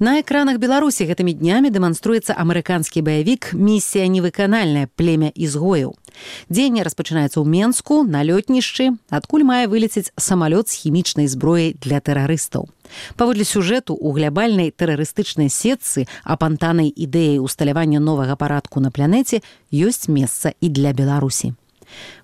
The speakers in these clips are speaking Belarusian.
На экранах Беларусі гэтымі днямі дэманструецца амерыканскі баявік «Місія невыканальная. Племя ізгояў». Дзеянне распачынаецца ў Менску, на лётнішчы, адкуль мае вылецець самалёт з хімічнай зброяй для тэрарыстаў. Паводле сюжэту, у глябальнай тэрарыстычнай сетцы, апантанай ідэяй усталявання новага парадку на планеце, ёсць месца і для Беларусі.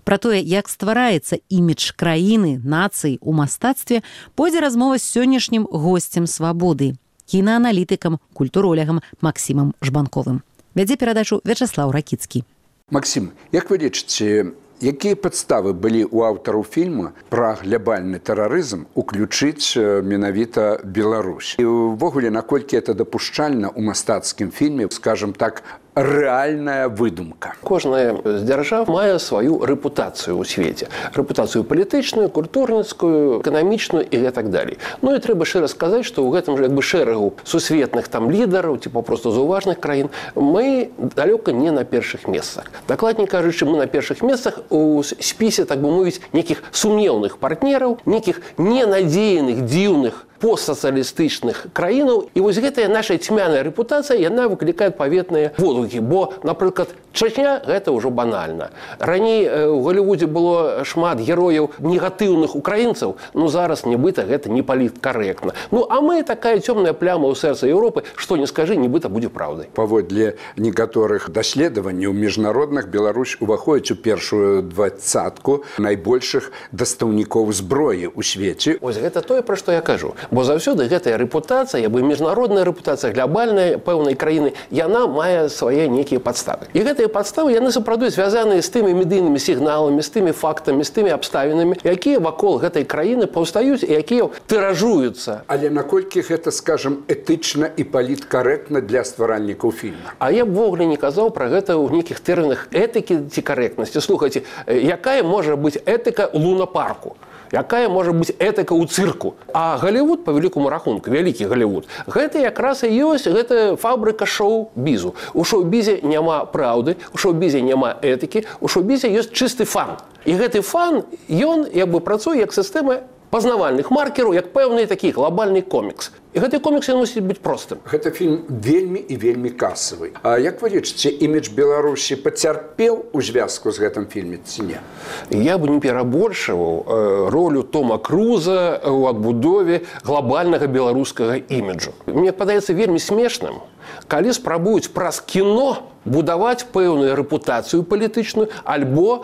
Пра тое, як ствараецца імідж краіны, нацыі ў мастацтве, пойдзе размова з сённяшнім госцем «Свабоды», кінааналітыкам, культуролягам Максімам Жбанковым. Вядзе перадачу Вячаслаў Ракіцкі. Максім, як вы лічыце, якія падставы былі ў аўтараў фільма пра глябальны тэрарызм уключыць менавіта Беларусь? І ўвогуле, наколькі это дапушчальна ў мастацкім фільме, скажем так, рэальная выдумка. Кожная з дзяржаў мае сваю рэпутацыю ў свеце. Рэпутацыю палітычную, культурніцкую, эканамічную і гэтак далей. Ну і трэба шчыра сказаць, што ў гэтым жа шэрагу сусветных там лідараў, ці папросту заўважных краін, мы далёка не на першых месцах. Дакладней кажучы, мы на першых месцах у спісе, так бы мовіць, нейкіх сумнеўных партнераў, нейкіх ненадзеяных, дзіўных постсацыялістычных краінаў. І вось гэтая наша цьмяная рэпутацыя, яна выклікае адпаведныя водгукі. Бо, напрыклад, Чачня – гэта ўжо банальна. Раней у Галівудзе было шмат герояў негатыўных украінцаў, ну зараз нібыта гэта не паліткарэктна. Ну а мы такая цёмная пляма ў сэрцы Еўропы, што не скажы, нібыта будзе праўдай. Паводле некаторых даследаванняў міжнародных, Беларусь уваходзіць у першую двадцатку найбольшых дастаўнікоў зброі ў свеце. Вось гэта тое, пра што я кажу. Бо заўсёды гэтая рэпутацыя, як бы міжнародная рэпутацыя, глябальная пэўнай краіны, яна мае свае нейкія падставы. І гэтыя падставы, яны сапраўды звязаныя з тымі медыйнымі сігналамі, з тымі фактамі, з тымі абставінамі, якія вакол гэтай краіны паўстаюць і якія тыражуюцца. Але наколькі гэта, скажам, этычна і паліткарэктна для стваральнікаў фільма? А я б ввогуле не казаў пра гэта ў нейкіх тэрмінах этыкі ці карэктнасці. Слухайце, якая можа быць этыка ў лунапарку? Якая можа быць этыка ў цырку? А Галівуд, па велікаму рахунку, вялікі Галівуд, гэта якраз і ёсць, гэта фабрыка шоу-бізу. У шоу-бізе няма праўды, у шоу-бізе няма этыкі, у шоу-бізе ёсць чысты фан. І гэты фан, ён як бы працуе як сістэма пазнавальных маркераў, як пэўны такі глобальны комікс. І гэты комікс ён мусіць быць простым. Гэта фільм вельмі і вельмі касавы. А як вы лічыце, імідж Беларусі пацярпеў у звязку з гэтым фільме ці не? Я бы не перабольшываў ролю Тома Круза ў адбудове глобальнага беларускага іміджу. Мне падаецца вельмі смешным, калі спрабуюць праз кіно будаваць пэўную рэпутацыю палітычную, альбо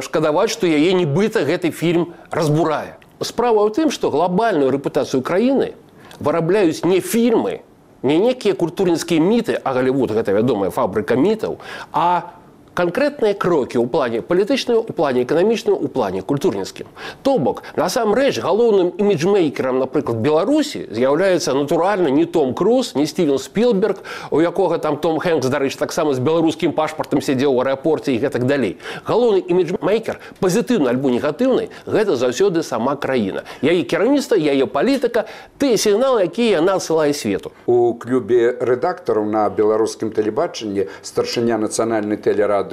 шкадаваць, што яе нібыта гэты фільм разбурае. Справа ў тым, што глобальную рэпутацыю краіны вырабляюць не фільмы, не некія культурніцкія міты, а Галівуд – гэта вядомая фабрыка мітаў, а канкрэтныя крокі ў плане палітычным, у плане эканамічным, у плане культурніцкім. То бок, насамрэч, галоўным іміджмейкерам, напрыклад, Беларусі з'яўляецца натуральна не Том Круз, не Стівен Спілберг, у якога там Том Хэнкс, дарэчы, таксама з беларускім пашпартам сядзеў у аэропорце і гэтак далей. Галоўны іміджмейкер, пазітыўны альбо негатыўны, гэта заўсёды сама краіна. Яе кіраўніцтва, яе палітыка, тыя сігналы, якія яна адсылае свету. У клубе рэдактараў на беларускім тэлебачанні старшыня нацыянальнай тэлерадыёкампаніі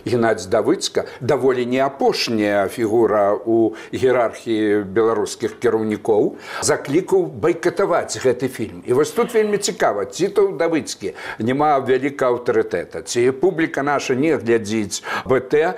Геннадзь Давыцка, даволі не апошняя фігура ў іерархіі беларускіх кіраўнікоў, заклікаў байкатаваць гэты фільм. І вось тут вельмі цікава, ці то ў Давыцкі няма вялікага аўтарытэта, ці публіка наша не глядзіць БТ,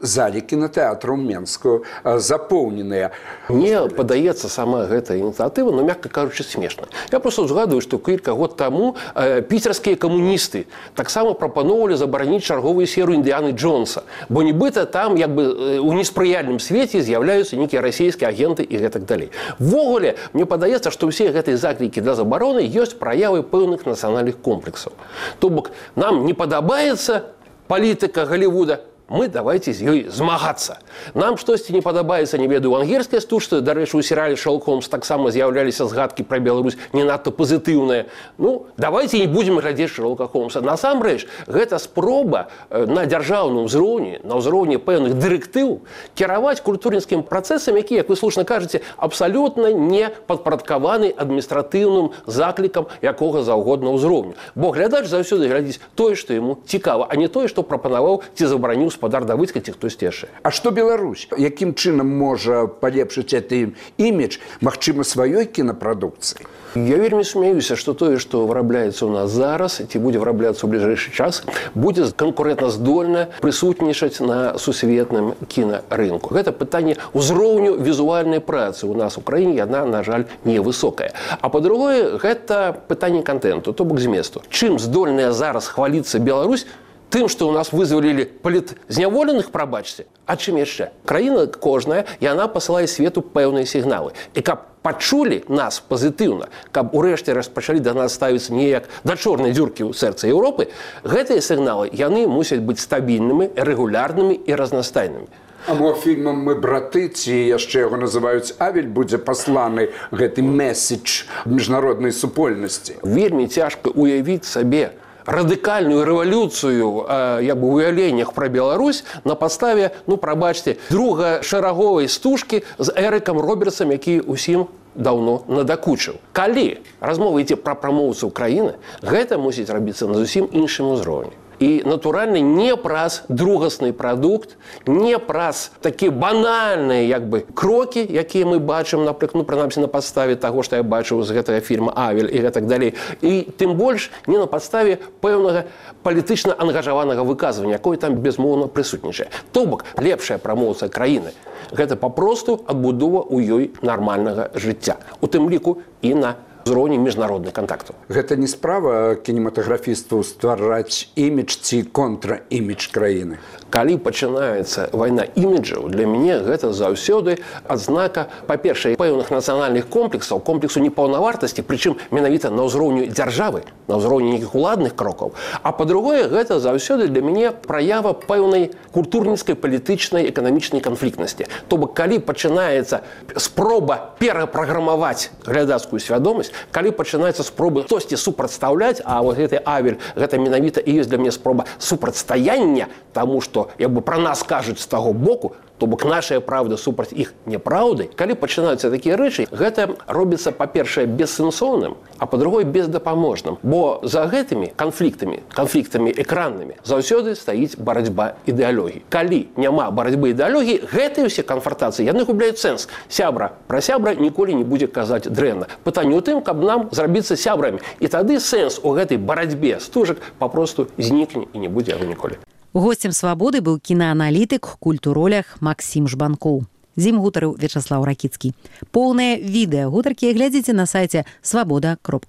залі кінотэатру ў Менску запоўненыя. Мне падаецца сама гэта ініцыятыва, но, мякка кажучы, смешна. Я проста ўзгадую, што кілька год таму піцерскія камуністы таксама прапаноўвалі забараніць чарговую серыю Індыяны Джонса, бо нібыта там як бы у неспрыяльным свеце з'яўляюцца нейкія расійскія агенты і гэтак далей. Ввогуле, мне падаецца, што ўсе гэтыя заклікі для забароны ёсць праявы пэўных нацыянальных комплексаў. То бок, нам не падабаецца палітыка Галівуда, мы давайте з ёй змагацца. Нам штосьці не падабаецца, не ведаю, ангельская стужка, дарэчы, у серыяле «Шерлок Холмс» таксама з'яўляліся згадкі пра Беларусь не надта пазітыўныя. Ну, давайте не будзем глядзець «Шерлока Холмса». Насамрэч, гэта спроба на дзяржаўным узроўні, на ўзроўні пэўных дырэктыў кіраваць культурніцкім працэсам, які, як вы слушна кажаце, абсалютна не падпарадкаваны адміністратыўным заклікам якога заўгодна ўзроўню. Бо глядач заўсёды глядзіць тое, што яму цікава, а не тое, што прапанаваў ці забараніў гаспадар Давыдзька ці хтосьці яшчэ. А што Беларусь? Якім чынам можа палепшыць гэты імідж, магчыма, сваёй кінапрадукцыі? Я вельмі смеюся, што тое, што вырабляецца ў нас зараз, ці будзе вырабляцца ў бліжэйшы час, будзе канкурэнтаздольна прысутнічаць на сусветным кінарынку. Гэта пытанне ўзроўню візуальнай працы ў нас у краіне, яна, на жаль, невысокая. А па-другое, гэта пытанне контенту, то бок зместу. Чым здольная зараз хваліцца Беларусь, тым, што ў нас вызвалілі палітзняволеных, прабачце, а чым яшчэ? Краіна кожная, яна пасылае свету пэўныя сігналы. І каб пачулі нас пазітыўна, каб урэшце распачалі да нас ставіцца не як да чорнай дзюркі ў сэрцы Еўропы, гэтыя сігналы, яны мусяць быць стабільнымі, рэгулярнымі і разнастайнымі. А мо фільмам «Мы браты», ці яшчэ яго называюць «Авель», будзе пасланы гэты месседж міжнароднай супольнасці? Вельмі цяжка уявіць сабе радыкальную рэвалюцыю як бы ў уяўленнях пра Беларусь на падставе, прабачце, другашэраговай стужкі з Эрыкам Робертсам, які ўсім даўно надакучыў. Калі размова ідзе пра прамоўцаў краіны, гэта мусіць рабіцца на зусім іншым узроўні. І, натуральна, не праз другасны прадукт, не праз такія банальныя крокі, якія мы бачым, напрыклад, прынамсі на падставе таго, што я бачыў з гэтага фільма «Авель» і гэтак далей. І тым больш не на падставе пэўнага палітычна ангажаванага выказвання, якое там безмоўна прысутнічае. То бок, лепшая прамоўца краіны – гэта папросту адбудова ў ёй нармальнага жыцця. У тым ліку і на узроўні міжнародных кантактаў. Гэта не справа кінематаграфістаў ствараць імідж ці контраімідж краіны? Калі пачынаецца вайна іміджаў, для мяне гэта заўсёды адзнака, па-першае, пэўных нацыянальных комплексаў, комплексу непаўнавартасці, прычым менавіта на ўзроўню дзяржавы, на ўзроўні нейкіх уладных крокаў. А па-другое, гэта заўсёды для мяне праява пэўнай культурніцкай, палітычнай, эканамічнай канфліктнасці. То бок, калі пачынаецца спроба перапраграмаваць глядацкую свядомасць, калі пачынаецца спроба хтосьці супрацьстаўляць, а вот гэты «Авель», гэта менавіта і ёсць для мяне спроба супрацьстаяння, таму што пра нас кажуць з таго боку, то бок нашая правда супраць іх няпраўды. Калі пачынаюцца такія рэчы, гэта робіцца, па-першае, бессэнсоўным, а па-другое, бездапаможным. Бо за гэтымі канфліктамі экраннымі заўсёды стаіць барацьба ідэалогій. Калі няма барацьбы ідэалогій, гэтыя ўсе канфронтацыі, яны губляюць сэнс. Сябра пра сябра ніколі не будзе казаць дрэнна. Пытанне ў тым, каб нам зрабіцца сябрамі. І тады сэнс у гэтай барацьбе стужак папросту знікне і не будзе яго ніколі. Гостем «Свабоды» быў кінааналітык, культуролях Максім Жбанкоў. З ім гутарыў Вячаслаў Ракіцкі. Поўнае відэа гутаркі глядзіце на сайце свабода.орг.